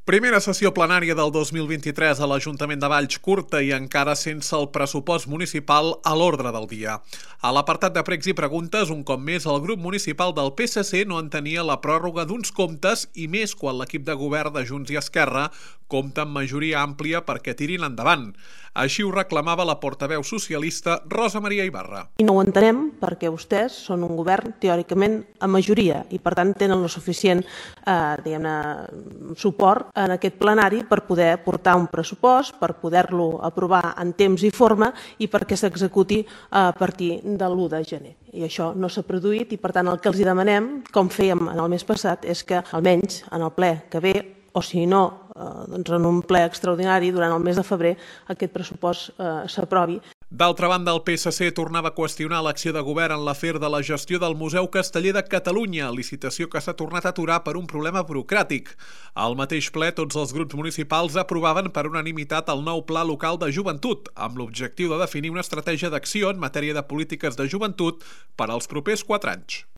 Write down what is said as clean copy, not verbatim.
Primera sessió plenària del 2023 a l'Ajuntament de Valls, curta i encara sense el pressupost municipal a l'ordre del dia. A l'apartat de pregs i preguntes, un cop més, el grup municipal del PSC no entenia la pròrroga d'uns comptes i més quan l'equip de govern de Junts i Esquerra compta amb majoria àmplia perquè tirin endavant. Així ho reclamava la portaveu socialista Rosa Maria Ibarra. I no ho entenem perquè vostès són un govern teòricament a majoria i per tant tenen el suficient suport en aquest plenari per poder portar un pressupost, per poder-lo aprovar en temps i forma i perquè s'executi a partir de l'1 de gener. I això no s'ha produït i per tant el que els demanem, com fèiem en el mes passat, és que almenys en el ple que ve, o si no, en un ple extraordinari durant el mes de febrer, aquest pressupost s'aprovi. D'altra banda, el PSC tornava a qüestionar l'acció de govern en l'afer de la gestió del Museu Casteller de Catalunya, licitació que s'ha tornat a aturar per un problema burocràtic. Al mateix ple, tots els grups municipals aprovaven per unanimitat el nou Pla Local de Joventut, amb l'objectiu de definir una estratègia d'acció en matèria de polítiques de joventut per als propers 4 anys.